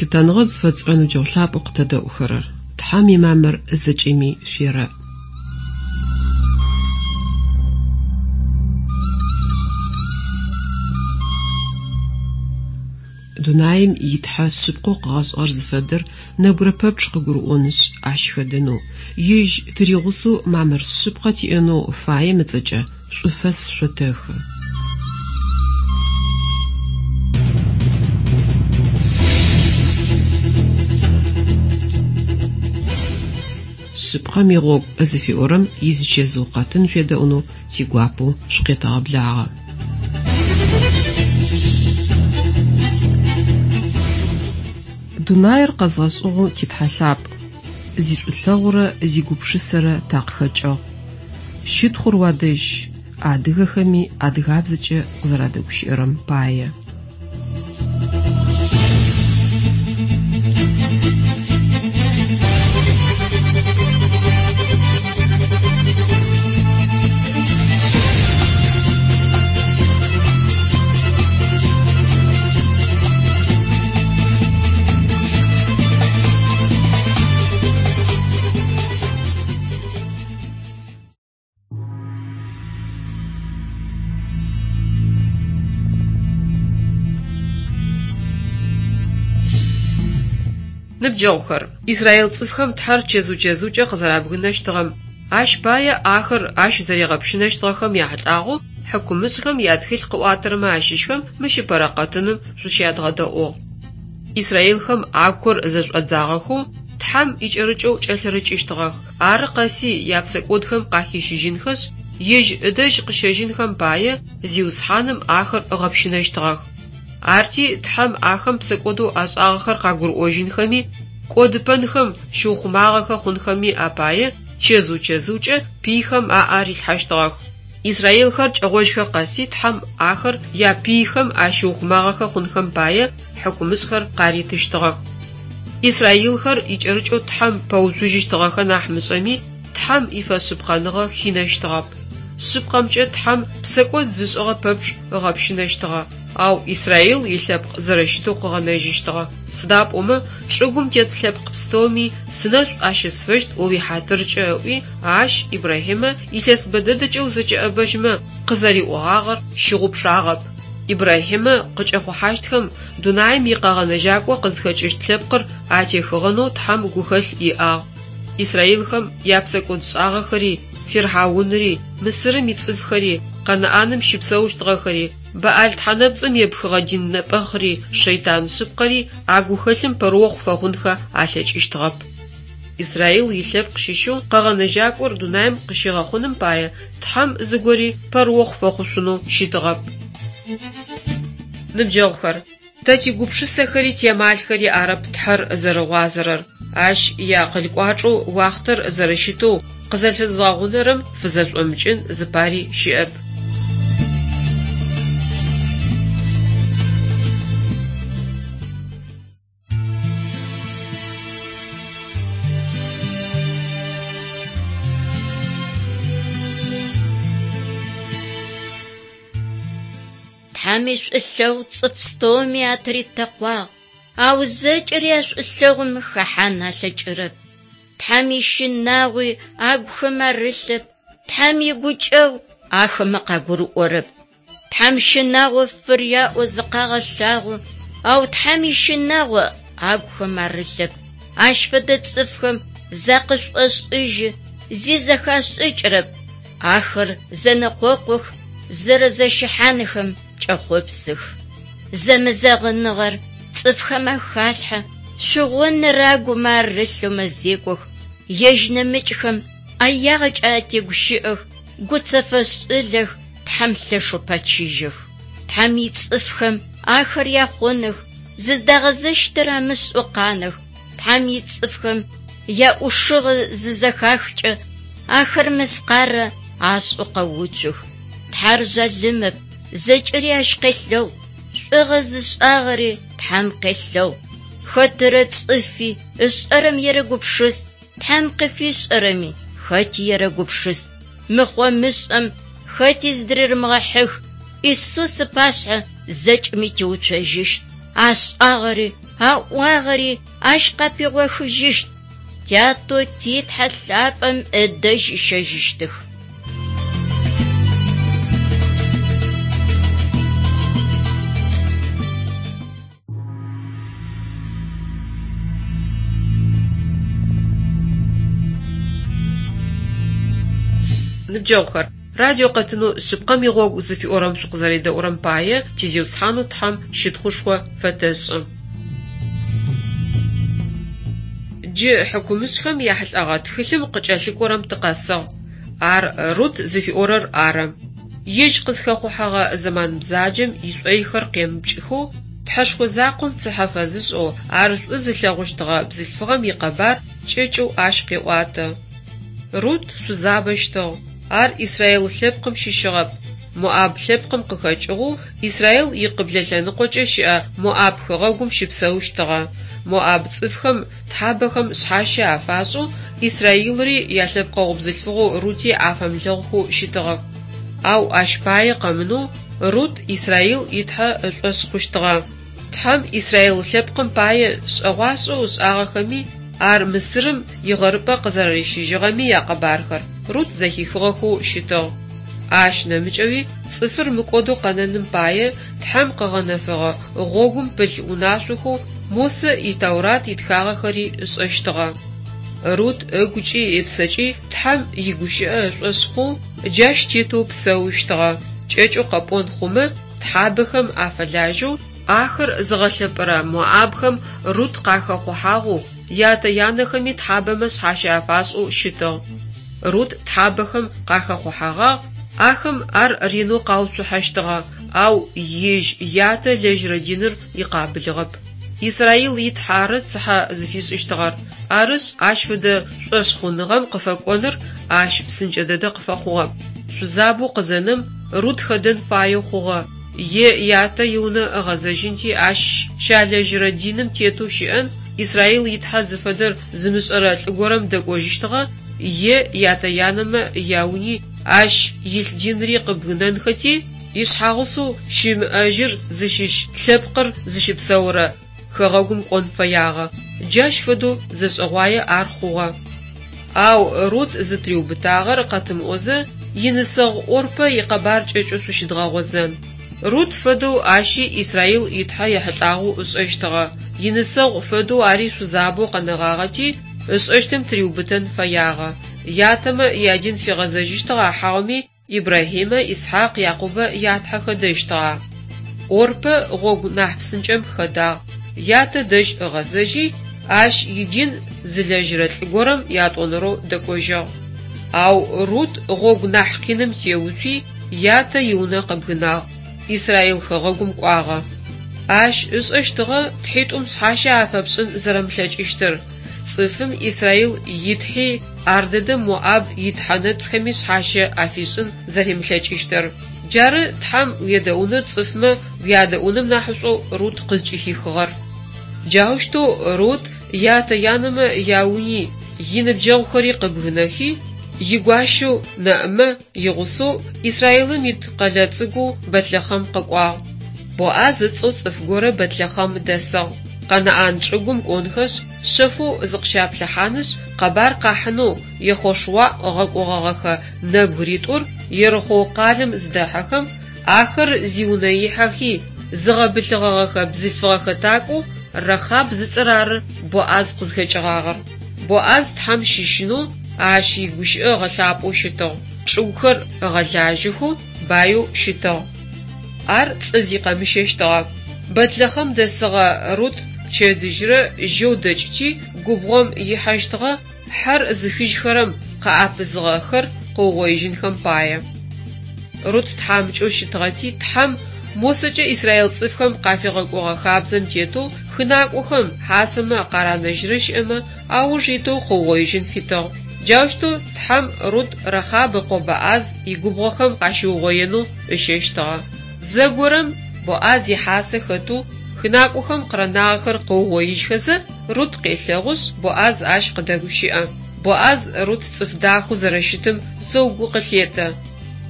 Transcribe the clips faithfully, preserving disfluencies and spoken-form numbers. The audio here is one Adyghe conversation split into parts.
Лъытэныгъэ зыфэтшӏырэ ныбджэгъу лъапӏэу къытэдэӏухэрэр, Тхьэм имамыр зэкӏэми шъуерэӏ. Дунаим итхьэ шъыпкъэу къыгъэшӏыгъэр зыфэдэр нэбгырэ пэпчъ къыгурыӏонышъ, ащ хэдэнэу, ежь тыригъусэу мамыр шъыпкъэ тиӏэнэу фаем ыцӏэкӏэ шӏуфэс шъотэхы. Шъыпкъэм игъогу зыфиӏорэм изычэзыу къэтын шъуедэӏунэу тигуапэу шъукъетэгъэблагъэ. Дунаир къэзгъэшӏыгъэу титхьэ лъапӏ, зишӏулъэгъурэ зигупшысэрэ такъыхэкӏыгъ. Щытхъур уадэжь, адыгэхэми адыгабзэкӏэ къызэрадэгущыӏэрэм пае. Ныбджэгъухэр, Израил цӏыфхэм Тхьэр чэзыу-чэзыукӏэ къызэрабгынэщтыгъэм, ащ пае ахэр ащ зэригъэпщынэщтыгъэхэм яхьылӏагъэу хьыкумышӏхэм ятхылъ къыӏуатэрэмэ ащыщхэм мыщ ыпэрэ къэтыным шъущядгъэдэӏугъ. Израилхэм агухэр зэшӏодзагъэхэу Тхьэм икӏэрыкӏэу кӏэлъырыкӏыщтыгъэх, ары къэси япсэкӏодхэм къахищыжьынхэшъ, Ежь ыдэжь къыщэжьынхэм пае Зиусхьаным ахэр ыгъэпщынэщтыгъэх. Арти Тхьэм ахэм псэкӏодэу ашӏагъэхэр къагурыӏожьынхэми, кӏодыпэнхэм щыухъумагъэхэ хъунхэми апае чэзыу-чэзыукӏэ пыйхэм аӏэ арилъхьэщтыгъэх. Израилхэр кӏэгъожьхэ къэси Тхьэм ахэр япыйхэм ащыухъумагъэхэ хъунхэм пае хьыкумышӏхэр къаритыщтыгъэх. Израилхэр икӏэрыкӏэу Тхьэм пэуцужьыщтыгъэхэ нахь мышӏэми, Тхьэм ифэшъыпкъэныгъэ хинэщтыгъэп. Шъыпкъэмкӏэ Тхьэм псэкӏод зышӏыгъэ пэпчъ ыгъэпщынэщтыгъэ, ау Израил илъэпкъ зэрэщытэу къыгъэнэжьыщтыгъэ. Сыда пӏомэ чӏыгум тет лъэпкъ пстэуми сынэшӏу ащысфэщт о уихьатыркӏэ ыӏуи, ащ Ибрахьимэ илъэс бэ дэдэкӏэ узэкӏэӏэбэжьмэ къызэриӏогъагъэр щыгъупшагъэп. Ибрахьимэ къыкӏэхъухьащтхэм дунаим икъэгъэнэжьакӏо къызхэкӏыщт лъэпкъыр атехыгъэнэу Тхьэм гухэлъ иӏагъ. Израилхэм япсэкӏодшӏагъэхэри, Фирхьаунри, Мысырым ицӏыфхэри, Къэнаӏаным щыпсэущтыгъэхэри, Баӏал тхьэнэпцӏым епхыгъэ дин нэпӏэхъри, шэйтан шъыпкъэри а гухэлъым пэрыохъу фэхъунхэ алъэкӏыщтыгъэп. Израил илъэпкъ щыщэу къэгъэнэжьакӏор дунаим къыщигъэхъуным пае Тхьэм зыгори пэрыохъу фэхъушъунэу щытыгъэп. Ныбджэгъухэр, тэ тигупшысэхэри тиамалхэри арэп Тхьэр зэрыгъуазэрэр, ащ иакъыл кӏуачӏэу уахътэр зэрэщытэу къызэлъызгъэгъунэрэм фызэшӏомыкӏын зыпари щыӏэп. Тхьэм ишӏулъэгъу цӏыф пстэуми атыритэкъуагъ, ау зэкӏэри а шӏулъэгъум хэхьан алъэкӏырэп. Тхьэм ищынагъуи агухэм арылъэп, Тхьэм игукӏэгъу ахэмэ къагурыӏорэп. Тхьэм щынагъо фыряӏэу зыкъагъэлъагъо, ау Тхьэм ищынагъо агухэм арылъэп. Ащ фэдэ цӏыфхэм закъышӏошӏыжьы, зи зэхашӏыкӏырэп. Ахэр зэнэкъокъух, зэрэзэщыхьанхэм кӏэхъопсых. Зэмызэгъыныгъэр цӏыфхэм ахалъхьэ, шъугъоныр агумэ арылъэу мэзекӏох, ежь нэмыкӏхэм ӏэягъэкӏэ атегущыӏэх, гуцэфэшӏылэх, Тхьэм лъэшэу пэчыжьэх. Тхьэм ицӏыфхэм ахэр яхъоных, зыздагъэзэщтыр амышӏэу къанэх. Тхьэм ицӏыфхэм яӏушыгъэ зызэхахкӏэ, ахэр мыскъарэ ашӏэу къэуцух. Тхьэр жъалымэп, зэкӏэри ащ къелъэгъу, шӏугъэ зышӏагъэри Тхьэм къелъэгъу. Хэтырэ цӏыфи ышӏэрэм ерэгупшыс, Тхьэм къыфишӏэрэми хэти ерэгупшыс. Мыхъо-мышӏэм хэти зыдырерымыгъэхьых, Исус ыпашъхьэ зэкӏэми теуцожьыщт. Ашӏагъэри, аӏуагъэри ащ къапигъохыжьыщт. Тятэу ти Тхьэ лъапӏэм ыдэжь ыщэжьыщтых. Ныбджэгъухэр, радио къэтынэу «Шъыпкъэм игъогу» зыфиӏорэм шъукъызэредэӏурэм пае ти Зиусхьанэу Тхьэм щытхъушхо фэтэшӏы. Джы хьыкумышӏхэм яхьылӏэгъэ тхылъым къыкӏэлъыкӏорэм тыкъэсыгъ. Ар Рут зыфиӏорэр ары. Ежь къызхэхъухьэгъэ зэман бзаджэм ишӏойхэр къемыпкӏыхэу, Тхьэшхо закъом цыхьэ фэзышӏэу, ар шӏу зылъэгъущтыгъэ бзылъфыгъэм икъэбар кӏэкӏэу ащ къеӏуатэ. Рут шъузабэщтыгъ. Ар Израил лъэпкъым щыщыгъэп. Моаб лъэпкъым къыхэкӏыгъэу Израил икъыблэ лъэныкъокӏэ щыӏэ Моаб хэгъэгум щыпсэущтыгъэ. Моаб цӏыфхэм тхьабэхэм шъхьащэ афашӏэу Израилри ялъэпкъэгъу бзылъфыгъэу Рути афэмылъэгъухэу щытыгъэх. Ау ащ пае къэмынэу Рут Израил и Тхьэ ышӏошъ хъущтыгъэ. Тхьэм Израил лъэпкъым пае шӏэгъуашӏэу ышӏагъэхэми, ар Мысырым игъэрыпӏэ къызэрэрищыжьыгъэми якъэбархэр Рут зэхихыгъэхэу щытыгъ. Ащ нэмыкӏэуи цӏыфыр мыкӏодэу къэнэным пае Тхьэм къыгъэнэфэгъэ гъогум пылъ унашъохэу Мосэ и Тэурат итхагъэхэри ышӏэщтыгъэ. Рут ыгукӏи ыпсэкӏи Тхьэм игущыӏэ ышӏошъ хъоу джащ тетэу псэущтыгъэ. Кӏэкӏэу къэпӏон хъумэ, тхьабэхэм афэлажьэу, ахэр зыгъэлъэпӏэрэ моабхэм Рут къахэхъухьагъэу, ятэ-янэхэми тхьабэмэ шъхьащэ афашӏэу щытыгъ. Рут тхьабэхэм къахэхъухьэгъагъ, ахэм ар ренэу къауцухьэщтыгъэ, ау ежь ятэ ылэжьырэ диныр икъабылыгъэп. Израил и Тхьэ ары цыхьэ зыфишӏыщтыгъэр. Арышъ, ащ фэдэ шӏошъхъуныгъэм къыфэкӏоныр ащ псынкӏэ дэдэ къыфэхъугъэп. Шъузабэу къызэнэм Рут хэдэн фаеу хъугъэ. Е ятэ иунэ ыгъэзэжьынти ащ щалэжьырэ диным тетэу щыӏэн, Израил и Тхьэ зыфэдэр зымышӏэрэ лӏы горэм дэкӏожьыщтыгъэ, е ятэ-янэмэ яуни ащ илъ динри къыбгынэнхэти, ишъхьагъусэу щымыӏэжьыр зыщыщ лъэпкъыр зыщыпсэурэ хэгъэгум кӏон фэягъэ. Джащ фэдэу зэшӏэгъуае ар хъугъэ. Ау Рут зытыриубытагъэр къэтымыӏозэ, инысэгъу Орпэ икъэбар кӏэкӏэу шъущыдгъэгъозэн. Рут фэдэу ащи Израил и Тхьэ ехьылӏагъэу ышӏэщтыгъэ. Инысэгъу фэдэу ари шъузабэу къэнэгъагъэти, ышӏэщтым тыриубытэн фэягъэ. Ятэмэ ядин фигъэзэжьыщтыгъа хьауми Ибрахьимэ, Исхьакъ, Якъубэ ятхьэ хэдэщтыгъа? Орпэ гъогу нахь псынкӏэм хэдагъ. Ятэ дэжь ыгъэзэжьи, ащ идин зылэжьырэ лӏы горэм ятӏонэрэу дэкӏожьыгъ. Ау Рут гъогу нахь къиным теуцуи, ятэ иунэ къыбгынагъ, Израил хэгъэгум кӏуагъэ. Ащ ышӏэщтыгъэ тхьитӏум шъхьащэ афэпшӏын зэрэмылъэкӏыщтыр. Цӏыфым Израил итхьи ар дэдэм Моаб итхьэ нэпцӏхэми шъхьащэ афишӏын зэримылъэкӏыщтыр. Джары Тхьэм уедэӏуныр цӏыфмэ уядэӏуным нахьышӏоу Рут къызкӏыхихыгъэр. Джаущтэу Рут ятэ-янэмэ яуни иныбджэгъухэри къыбгынэхи, игуащэу Нэӏымэ игъусэу Израилым ит къэлэ цӏыкӏоу Бэтлэхъэм къэкӏуагъ. Боӏаз ыцӏэу цӏыф горэ Бэтлэхъэм дэсыгъ. Къэнаӏан чӏыгум кӏонхэшъ, шъэфэу зыкъыщаплъыхьанышъ, къэбар къахьынэу Ехъошуа ыгъэкӏогъэгъэхэ нэбгыритӏур Ерыхъоу къалэм зыдэхьэхэм, ахэр зиунэ ихьэхи, зыгъэбылъыгъэгъэхэ бзылъфыгъэ хэтакӏоу Рахаб зыцӏэр ары Боӏаз къызхэкӏыгъагъэр. Боӏаз Тхьэм щыщынэу, ащ игущыӏэ ыгъэлъапӏэу щытыгъ, чӏыгухэр ыгъэлажьэхэу, баеу щытыгъ. Ар лӏы зи къэмыщэщтыгъэ. Бэтлэхъэм дэсыгъэ Рут пчэдыжьрэ жьэу дэкӏыти, губгъом ихьэщтыгъэ, хьэр зыхыжьхэрэм къаӏэпызыгъэхэр къыугъоижьынхэм пае. Рут тхьамыкӏэу щытыгъэти, Тхьэм Мосэкӏэ Израил цӏыфхэм къафигъэкӏогъэ хабзэм тетэу хынакӏохэм хьасэмэ къаранэжьырэ щыӏэмэ ауж итэу къыугъоижьын фитыгъ. Джаущтэу Тхьэм Рут Рахаб ыкъо Боӏаз игубгъохэм къащиугъоенэу ыщэщтыгъэ. Зэгорэм Боӏаз ихьасэ хэтэу хынакӏохэм къыранагъэхэр къыугъоижьхэзэ, Рут къелъэгъушъ, Боӏаз ащ къыдэгущыӏэ. Боӏаз Рут цӏыф дахэу зэрэщытым зэу гу къылъетэ.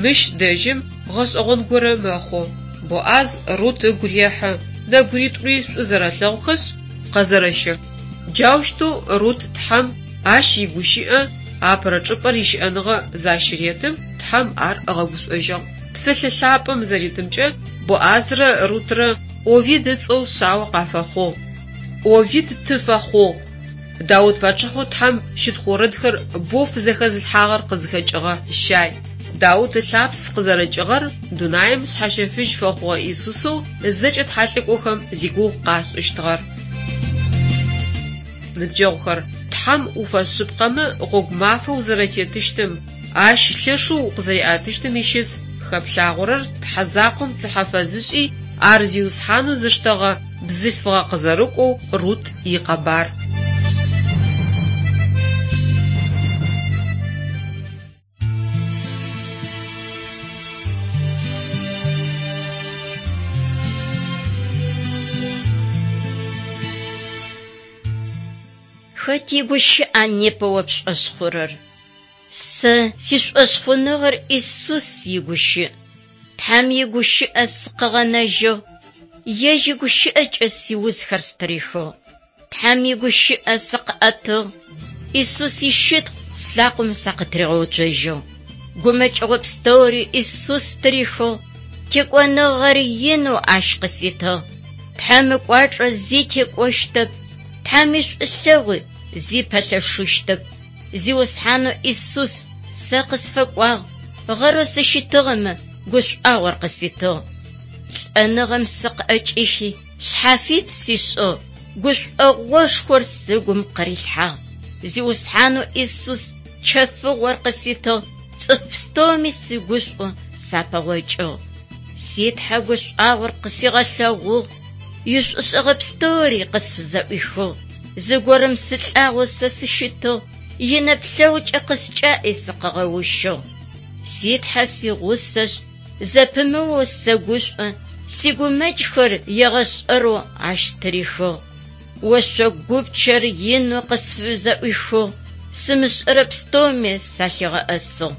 Мыщ дэжьым гъэшӏэгъон горэ мэхъу. Боӏаз Рут ыгу рехьы, Нэбгыритӏури шӏу зэрэлъэгъухэшъ, къэзэрэщэх. Джаущтэу Рут Тхьэм, Ащ игущыӏэ апэрэ чӏыпӏэр ищыӏэныгъэ защыретым, Тхьэм ар ыгъэгушӏожьыгъ. Псэлъэ лъапӏэм зэритымкӏэ, Боазрэ Рутрэ Овид ыцӏэу шъао къафэхъугъ. Овид ты фэхъугъ. Даут пачъыхьэу Тхьэм щытхъу орэдхэр боу фызэхэзылъхьагъэр къызхэкӏыгъэ Ищай. Даут ылъапс къызэрэкӏыгъэр дунаим шъхьащэфыжь фэхъугъэ Иисусэу зэкӏэ тхьэлӏыкӏохэм зигугъу къашӏыщтыгъэр. Ныбджэгъухэр, Тхьэм уфэшъыпкъэмэ гъогу мафэ узэрэтетыщтым, Ащ лъэшэу укъызэриӏэтыщтым ищыс хэплъагъорэр Тхьэ закъом цыхьэ фэзышӏи, ар Зиусхьанэу зыштэгъэ бзылъфыгъэ къызэрыкӏоу Рут икъэбар. Хэт игущыӏа непэ о пшӏошъ хъурэр? Сэ сишӏошъхъуныгъэр Исус игущыӏ. Тхьэм игущыӏэ сыкъыгъэнэжьыгъ, Ежь игущыӏэкӏэ сиузхэр стырихыгъ. Тхьэм игущыӏэ сыкъыӏэтыгъ, Исус ищытхъу слъакъомэ сакъытыригъэуцожьыгъ. Гумэкӏыгъо пстэури Исус стырихыгъ, текӏоныгъэр инэу Ащ къыситыгъ. Тхьэм ыкӏуачӏэ зи текӏощтэп, Тхьэм ишӏулъэгъуи зи пэлъэшыщтэп. Зиусхьанэу Исус сэ къысфэкӏуагъ, гъэрэу сыщытыгъэмэ гушӏуагъор къыситыгъ. Лӏэныгъэм сыкъыӏэкӏихи, шъхьафит сишӏыгъ, гушӏогъошхор сыгум къырилъхьагъ. Зиусхьанэу Исус чэфыгъор къыситыгъ, цӏыф пстэуми сыгушӏоу сапэгъокӏыгъ. Си Тхьэ гушӏуагъор къысигъэлъэгъугъ, ишӏушӏэгъэ пстэури къысфызэӏуихыгъ. Зыгорэм сылӏагъэу сэ сыщытыгъ, инэплъэгъукӏэ къыскӏаӏи сыкъыгъэущыгъ. Си Тхьэ сигъусэшъ, зэпымыоу сэгушӏо, сигумэкӏхэр егъэшӏэрэу Ащ стырихыгъ. Ошъо гупчэр инэу къысфызэӏуихыгъ, сымышӏэрэ пстэуми салъигъэӏэсыгъ.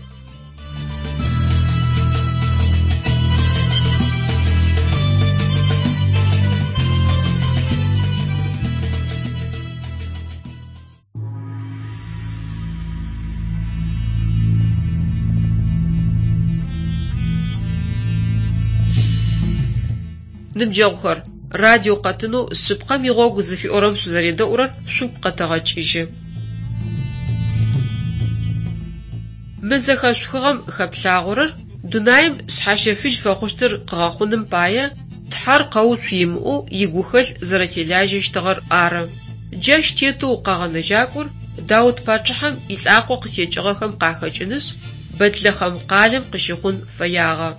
Ныбджэгъухэр, радио къэтынэу «Шъыпкъэм игъогу» зыфиӏорэм шъузэредэӏурэр шъугу къэтэгъэкӏыжьы. Мы зэхэшъухыгъэм хэплъагъорэр дунаим шъхьащэфыжь фэхъущтыр къыгъэхъуным пае Тхьэр къэуцу имыӏэу игухэлъ зэрэтелажьэщтыгъэр ары. Джащ тетэу Къэгъэнэжьакӏор Даут пачъыхьэм илӏакъо къытекӏыгъэхэм къахэкӏынышъ, Бэтлэхъэм къалэм къыщыхъун фэягъэ.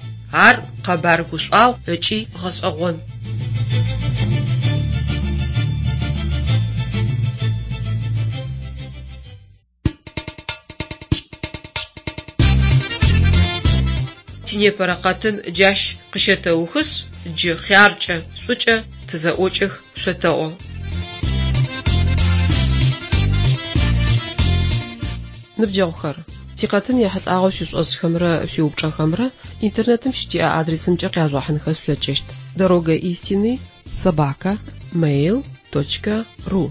Ар къэбар гушӏуагъу ыкӏи гъэшӏэгъон. Тинепэрэ къэтын джащ къыщэтэухышъ, джы хъяркӏэ, шӏукӏэ тызэӏокӏэх шъотэӏо. Ныбджэгъухэр, тикъэтын ехьылӏагъэу шъуишӏошӏхэмрэ шъуиупчӏэхэмрэ интернетым щытиӏэ адресымкӏэ къяжъугъэхьынхэ шъулъэкӏыщт: дорога истины собака mail точка ру.